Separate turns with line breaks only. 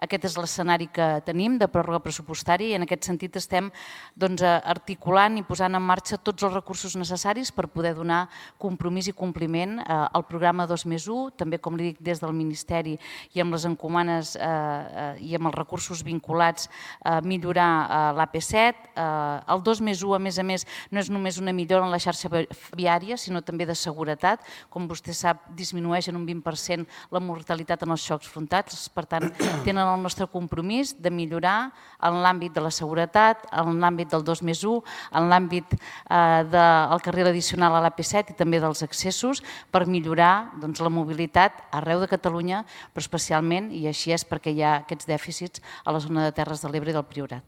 aquest és l'escenari que tenim de pròrroga pressupostària i en aquest sentit estem articulant i posant en marxa tots els recursos necessaris per poder donar compromís i compliment al programa 2+1, també com li dic des del Ministeri i amb les encomanes i amb els recursos vinculats a millorar l'AP7. El 2+1, a més, no és només una millora en la xarxa viària, sinó també de seguretat. Com vostè sap, disminueix en un 20% la mortalitat en els xocs frontals. Per tant, tenen el nostre compromís de millorar en l'àmbit de la seguretat, en l'àmbit del 2+1, en l'àmbit del carril addicional a l'AP7 i també dels accessos per millorar la mobilitat arreu de Catalunya, però especialment, i així és perquè hi ha aquests dèficits a la zona de Terres de l'Ebre i del Priorat.